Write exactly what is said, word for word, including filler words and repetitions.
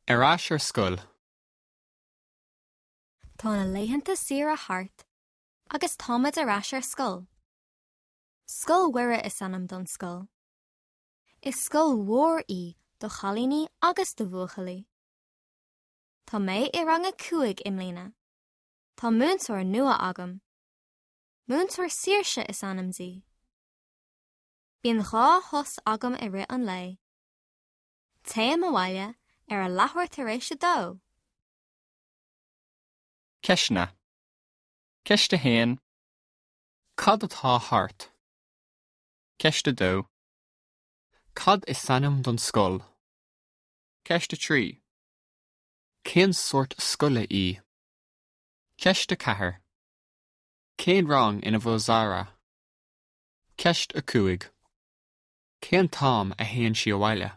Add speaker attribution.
Speaker 1: Ar ais ar scoil.
Speaker 2: Tá na laethanta saoire thart agus táimid ar ais ar scoil. Scoil Mhuire is ainm don scoil. Is scoil mhór í do chailíní agus do bhuachaillí. Tá mé i rang a cúig i mbliana. Tá múinteoir nua agam. Múinteoir Saoirse is ainm di. Bíonn dhá shos agam i rith an lae. Téim abhaile ar a leathuair tar éis a dó.
Speaker 1: Ceisteanna. Ceist a haon. Cad atá thart? Ceist a dó. Cad is ainm don scoil? Ceist a trí. Cén sórt scoile í? Ceist a ceathair. Cén rang ina bhfuil Zara? Ceist a cúig. Cén t-am a théann sí abhaile?